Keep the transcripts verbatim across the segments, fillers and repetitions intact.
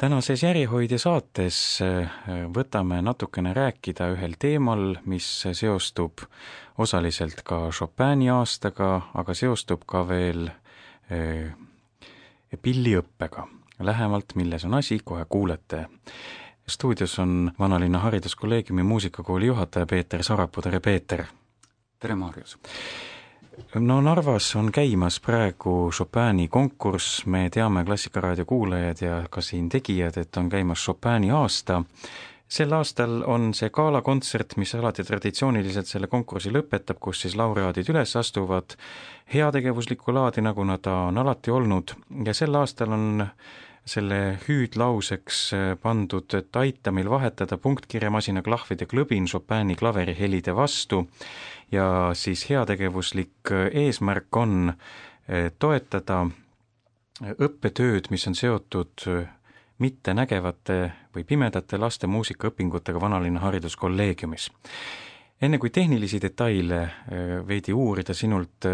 Tänases Järjehoidja saates võtame natukene rääkida ühel teemal, mis seostub osaliselt ka Chopini aastaga, aga seostub ka veel pilliõppega. Lähemalt, milles on asi, kohe kuulete. Stuudios on Vanalinna hariduskolleegiumi muusikakooli juhataja Peeter Sarapuu. Tere, Peeter! Tere, Marius! No Narvas on käimas praegu Chopini konkurss, me teame Klassikaraadio kuulajad ja ka siin tegijad, et on käimas Chopini aasta. Sel aastal on see gaalakontsert, mis alati traditsiooniliselt selle konkursi lõpetab, kus siis laureaadid üles astuvad heategevuslikku laadi, nagu nad on alati olnud, ja sel aastal on selle hüüdlauseks pandud, et aita meil vahetada punktkirjamasina klahvide klõbin Chopini klaverihelide vastu ja siis heategevuslik eesmärk on toetada õppetööd, mis on seotud mittenägevate või pimedate laste muusikaõpingutega Vanalinna hariduskolleegiumis. Enne kui tehnilisi detaile veidi uurida sinult,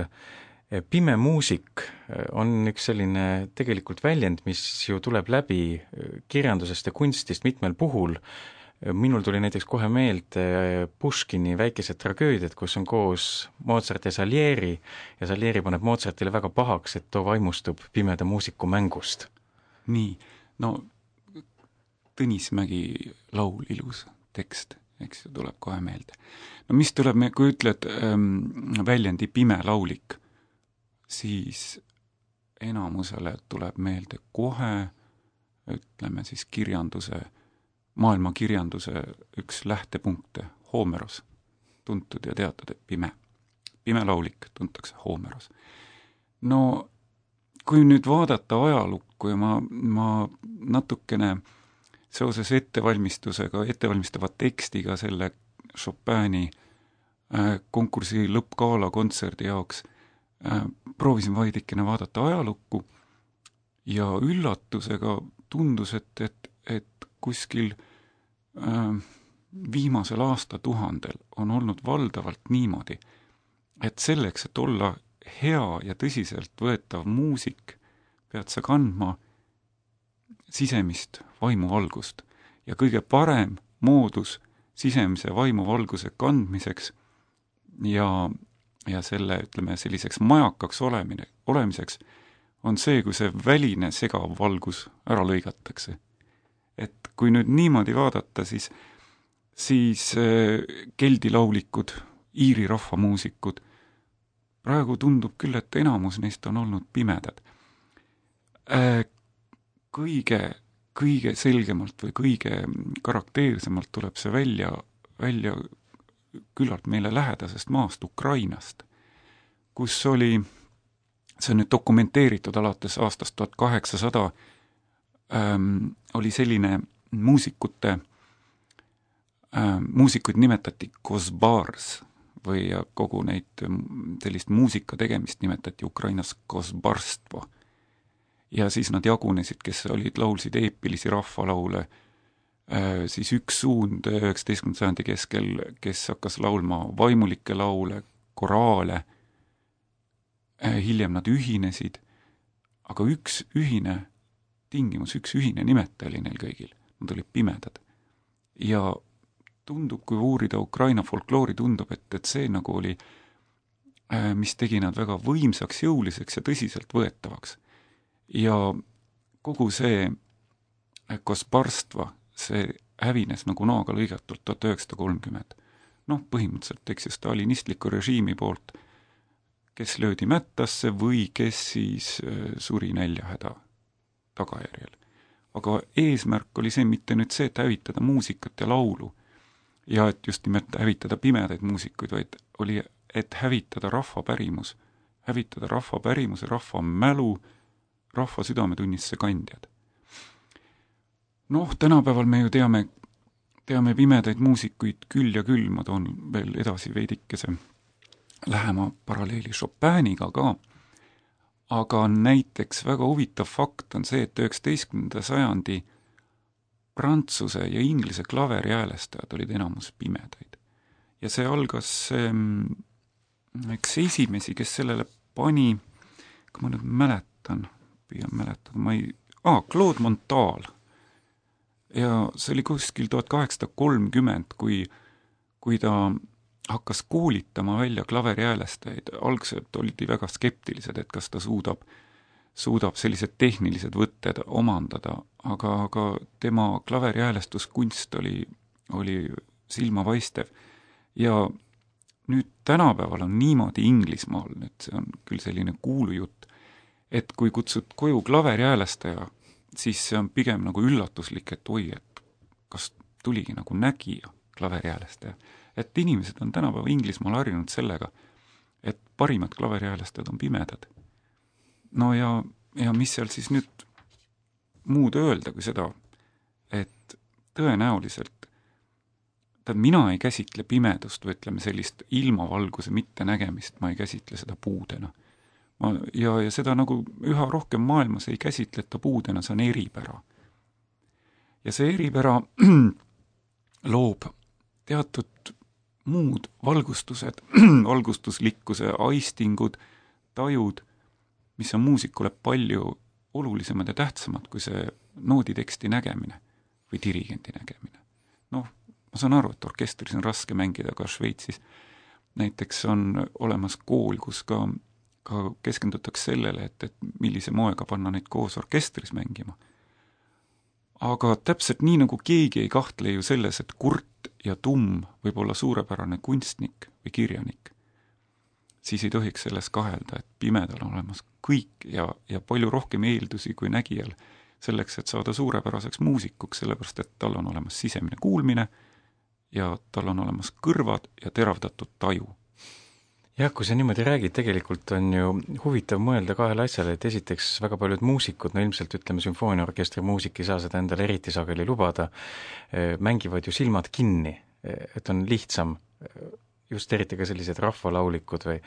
pime muusik on üks selline tegelikult väljend, mis ju tuleb läbi kirjandusest ja kunstist mitmel puhul. Minul tuli näiteks kohe meelde Puškini väikesed tragöödiad, kus on koos Mozart ja Salieri ja Salieri paneb Mozartile väga pahaks, et too vaimustub pimeda muusiku mängust. Nii, no Tõnismägi laul, ilus tekst, eks ju, tuleb kohe meelde. No mis tuleb, kui ütled ähm, väljendi pime laulik, siis enamusele tuleb meelde kohe, ütleme siis kirjanduse, maailma kirjanduse üks lähtepunkte, Homeros, tuntud ja teatud, et pime. Pime laulik tuntakse Homeros. No kui nüüd vaadata ajalukku ja ma, ma natukene seoses ettevalmistusega, ettevalmistava tekstiga selle Chopini äh, konkursi lõppgaala kontserdi jaoks äh, proovisin vaidikene vaadata ajalukku ja üllatusega tundus, et, et, et kuskil äh, viimasel aastatuhandel on olnud valdavalt niimoodi, et selleks, et olla hea ja tõsiselt võetav muusik, pead sa kandma sisemist vaimuvalgust ja kõige parem moodus sisemise vaimuvalguse kandmiseks ja, ja selle, ütleme, selliseks majakaks olemine, olemiseks on see, kui see väline segav valgus ära lõigatakse. Et kui nüüd niimoodi vaadata, siis, siis äh, keldilaulikud, iiri rahvamuusikud, praegu tundub küll, et enamus neist on olnud pimedad. Äh, kõige, kõige selgemalt või kõige karakteersemalt tuleb see välja, välja küllalt meile lähedasest maast Ukrainast, kus oli, see on nüüd dokumenteeritud alates aastast tuhat kaheksasada, ähm, oli selline muusikute, ähm, muusikuid nimetati Kosbars või kogu neid sellist muusika tegemist nimetati Ukrainas Kosbarstvo. Ja siis nad jagunesid, kes olid, laulsid eepilisi rahvalaule, siis üks suund üheksateistkümnenda sajandi keskel, kes hakkas laulma vaimulikke laule, koraale, hiljem nad ühinesid, aga üks ühine tingimus, üks ühine nimetaja oli neil kõigil, nad olid pimedad. Ja tundub, kui uurida Ukraina folkloori, tundub, et, et see nagu oli, mis tegi nad väga võimsaks, jõuliseks ja tõsiselt võetavaks. Ja kogu see Kosbarstva, see hävines nagu naaga lõigatult tuhat üheksasada kolmkümmend. Noh, põhimõtteliselt, eks ju, stalinistliku režiimi poolt, kes löödi mättasse või kes siis suri näljahäda tagajärjel. Aga eesmärk oli see mitte nüüd see, et hävitada muusikat ja laulu ja et just nimelt hävitada pimedaid muusikuid, vaid oli, et hävitada rahvapärimus, hävitada rahvapärimus ja rahva mälu, rahva südametunnisse kandjad. Noh, tänapäeval me ju teame, teame pimedaid muusikuid küll ja küll, ma toon veel edasi veidikese lähema paralleeli Chopiniga ka, aga näiteks väga huvitav fakt on see, et üheksateistkümnenda sajandi prantsuse ja inglise klaveriäälestajad olid enamus pimedaid. Ja see algas, eks esimesi, kes sellele pani, kui ma nüüd mäletan, püüan mäletada, ma ei, aa, Claude Montal, ja see oli kuskil tuhat kaheksasada kolmkümmend, kui, kui ta hakkas koolitama välja klaveriäälästajaid. Algselt oldi väga skeptilised, et kas ta suudab, suudab sellised tehnilised võtted omandada, aga, aga tema klaveriäälestuskunst oli, oli silmapaistev. Ja nüüd tänapäeval on niimoodi Inglismaal, nüüd see on küll selline kuulujutt, et kui kutsud koju klaveriäälästaja, siis see on pigem nagu üllatuslik, et oi, et kas tuligi nagu nägija klaveriäälästaja. Et inimesed on tänapäeva Inglismaal harjunud sellega, et parimad klaveriäälästajad on pimedad. No ja, ja mis seal siis nüüd muud öelda kui seda, et tõenäoliselt ta, mina ei käsitle pimedust või ütleme sellist ilmavalguse mittenägemist, ma ei käsitle seda puudena. Ma, ja, ja seda nagu üha rohkem maailmas ei käsitleta puudena, see on eripära. Ja see eripära loob teatud muud valgustused, valgustuslikkuse aistingud, tajud, mis on muusikule palju olulisemad ja tähtsamad kui see nooditeksti nägemine või dirigendi nägemine. Noh, ma saan aru, et orkestris on raske mängida, aga Šveitsis näiteks on olemas kool, kus ka, ka keskendutakse sellele, et, et millise moega panna neid koos orkestris mängima. Aga täpselt nii, nagu keegi ei kahtle ju selles, et kurt ja tumm võib olla suurepärane kunstnik või kirjanik, siis ei tohiks selles kahelda, et pimedal on olemas kõik ja, ja palju rohkem eeldusi kui nägijal selleks, et saada suurepäraseks muusikuks, sellepärast et tal on olemas sisemine kuulmine ja tal on olemas kõrvad ja teravdatud taju. Jah, kui sa niimoodi räägid, tegelikult on ju huvitav mõelda kahele asjale, et esiteks väga paljud muusikud, no ilmselt ütleme sümfooniaorkestri muusik ei saa seda endale eriti sageli lubada, mängivad ju silmad kinni, et on lihtsam, just eriti ka sellised rahvalaulikud või,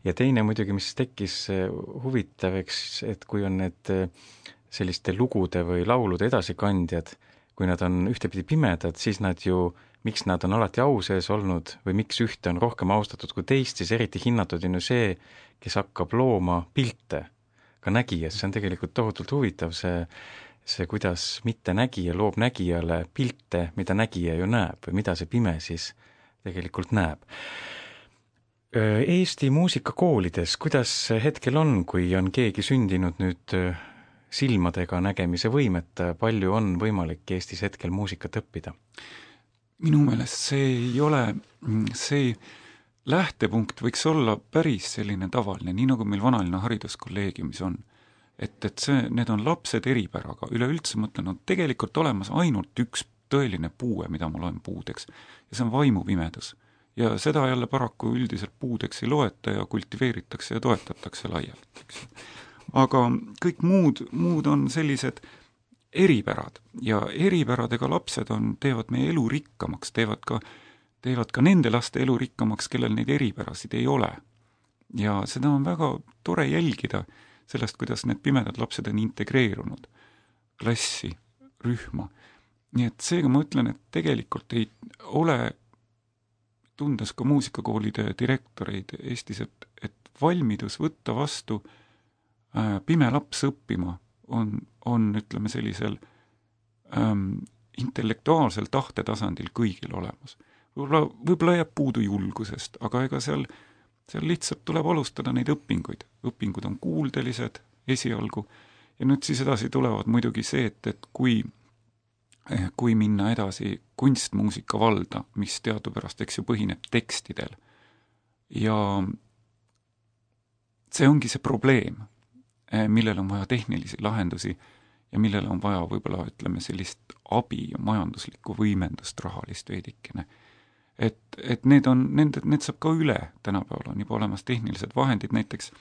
ja teine muidugi, mis tekkis huvitav, eks, et kui on need selliste lugude või laulude edasikandjad, kui nad on ühtepidi pimedad, siis nad ju miks nad on alati au sees olnud või miks ühte on rohkem austatud kui teist, siis eriti hinnatud on ju see, kes hakkab looma pilte ka nägijas. See on tegelikult tohutult huvitav, see, see kuidas mitte nägija loob nägijale pilte, mida nägija ju näeb või mida see pime siis tegelikult näeb. Eesti muusikakoolides, kuidas hetkel on, kui on keegi sündinud nüüd silmadega nägemise võimeta, palju on võimalik Eestis hetkel muusikat õppida? Minu meelest see ei ole, see lähtepunkt võiks olla päris selline tavaline, nii nagu meil Vanalinna hariduskolleegiumis on. Et, et see, need on lapsed eripäraga, üleüldse mõtlen, on tegelikult olemas ainult üks tõeline puue, mida ma loen puudeks, ja see on vaimupimedus. Ja seda jälle paraku üldiselt puudeks ei loeta ja kultiveeritakse ja toetatakse laialt. Aga kõik muud, muud on sellised eripärad ja eripäradega lapsed on, teevad meie elu rikkamaks, teevad ka, teevad ka nende laste elu rikkamaks, kellel neid eripärasid ei ole. Ja seda on väga tore jälgida sellest, kuidas need pimedad lapsed on integreerunud klassi, rühma. Nii et seega ma ütlen, et tegelikult ei ole, tundes ka muusikakoolide direktoreid Eestis, et, et valmidus võtta vastu äh, pime laps õppima on, on ütleme sellisel ähm, intellektuaalsel tahtetasandil kõigil olemas. Võib-olla, võib-olla jääb puudu julgusest, aga ega seal, seal lihtsalt tuleb alustada neid õpinguid. Õpingud on kuuldelised esialgu ja nüüd siis edasi tulevad muidugi see, et, et kui, kui minna edasi kunstmuusika valda, mis teadupärast, eks ju, põhineb tekstidel ja see ongi see probleem, millel on vaja tehnilisi lahendusi ja millel on vaja võib-olla, ütleme, sellist abi ja majanduslikku võimendust rahalist veidikene. Et, et need on, need, need saab ka üle tänapäeval, on juba olemas tehnilised vahendid, näiteks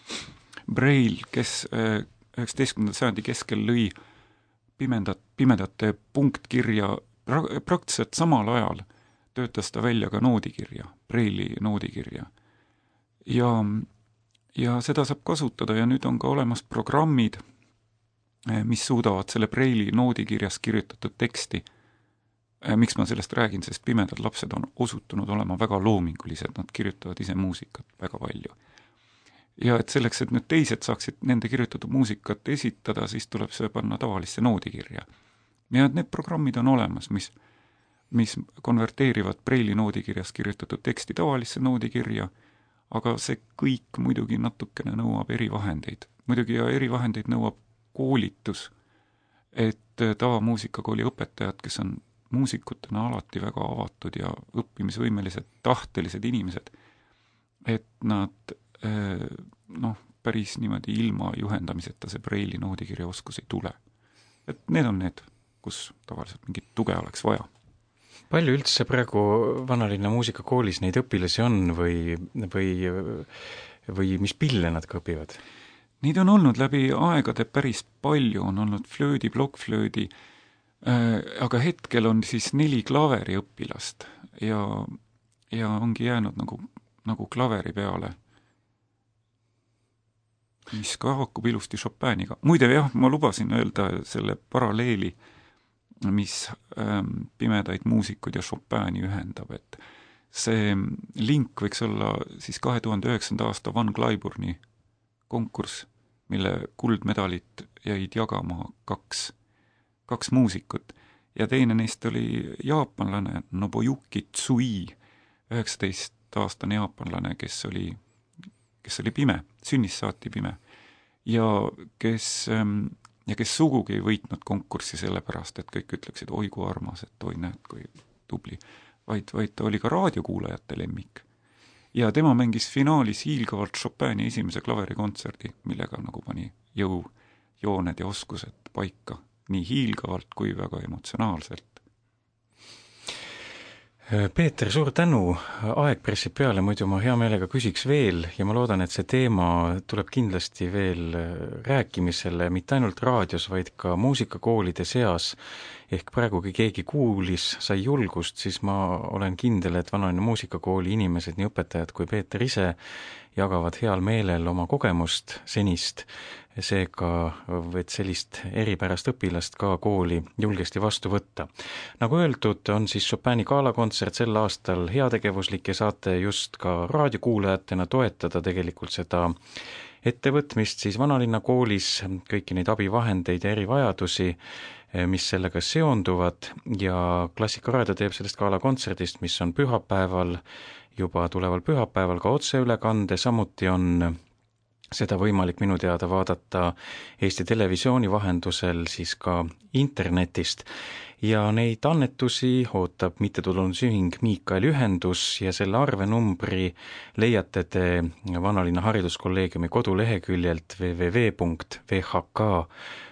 Braille, kes üheksateistkümnenda sajandi keskel lõi pimedat, pimedate punktkirja, pra, praktiliselt samal ajal töötas ta välja ka noodikirja, Braille'i noodikirja. Ja Ja seda saab kasutada ja nüüd on ka olemas programmid, mis suudavad selle Braille'i noodikirjas kirjutatud teksti. Miks ma sellest räägin, sest pimedad lapsed on osutunud olema väga loomingulised, nad kirjutavad ise muusikat väga palju. Ja et selleks, et nüüd teised saaksid nende kirjutatud muusikat esitada, siis tuleb see panna tavalisse noodikirja. ja need programmid on olemas, mis, mis konverteerivad Braille'i noodikirjas kirjutatud teksti tavalisse noodikirja, aga see kõik muidugi natukene nõuab erivahendeid. Muidugi ja erivahendeid nõuab koolitus, et tavamuusikakooli õpetajad, kes on muusikutena alati väga avatud ja õppimisvõimelised, tahtelised inimesed, et nad noh, päris niimoodi ilma juhendamiseta see Braille'i noodikirja oskus ei tule. Et need on need, kus tavaliselt mingit tuge oleks vaja. Palju üldse praegu Vanalinna muusikakoolis neid õpilasi on või, või, või mis pille nad ka õpivad? Neid on olnud läbi aegade päris palju, on olnud flöödi, plokkflöödi, aga hetkel on siis neli klaveri õpilast ja, ja ongi jäänud nagu, nagu klaveri peale, mis ka haakub ilusti Chopiniga. Muide jah, ma lubasin öelda selle paralleeli, mis ähm, pimedaid muusikud ja Chopini ühendab, et see link võiks olla siis kahe tuhande üheksanda aasta Van Cliburni konkurss, mille kuldmedalit jäid jagama kaks, kaks muusikut ja teine neist oli jaapanlane Nobuyuki Tsui, üheksateist-aastane jaapanlane, kes oli, kes oli pime, sünnist saati pime ja kes, ja kes sugugi ei võitnud konkurssi sellepärast, et kõik ütleksid, oi kui armas, et oi näed, kui tubli, vaid, vaid ta oli ka raadiokuulajate lemmik. Ja tema mängis finaalis hiilgavalt Chopini esimese klaverikontserdi, millega nagu pani jõu, jooned ja oskused paika, nii hiilgavalt kui väga emotsionaalselt. Peeter, suur tänu, aeg pressib peale, muidu ma hea meelega küsiks veel ja ma loodan, et see teema tuleb kindlasti veel rääkimisele, mitte ainult raadios, vaid ka muusikakoolide seas. Ehk praegu, kui keegi kuulis, sai julgust, siis ma olen kindel, et Vanalinna muusikakooli inimesed, nii õpetajad kui Peeter ise, jagavad heal meelel oma kogemust senist, seega, et sellist eripärast õpilast ka kooli julgesti vastu võtta. Nagu öeldud, on siis Chopini gaalakontsert sel aastal heategevuslik ja saate just ka raadiokuulajatena toetada tegelikult seda ettevõtmist siis Vanalinna koolis, kõiki neid abivahendeid ja erivajadusi, mis sellega seonduvad ja Klassikaraadio teeb sellest gaalakontserdist, mis on pühapäeval, juba tuleval pühapäeval ka otseülekande, samuti on seda võimalik minu teada vaadata Eesti Televisiooni vahendusel siis ka internetist ja neid annetusi ootab mittetulundusühing Miikaeli ühendus ja selle arvenumbri leiate te Vanalinna hariduskolleegiumi koduleheküljelt w w w punkt v h k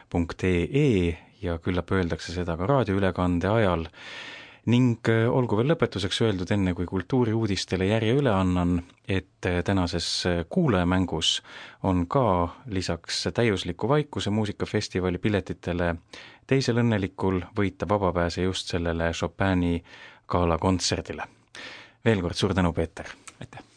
punkt e e ja küllap öeldakse seda ka raadioülekande ajal. Ning olgu veel lõpetuseks öeldud enne, kui kultuuriuudistele järje üle annan, et tänases kuulajamängus on ka lisaks täiusliku vaikuse muusikafestivali piletitele teisel õnnelikul võita vabapääse just sellele Chopini gaalakontserdile. Veel kord suur tänu, Peeter! Aitäh!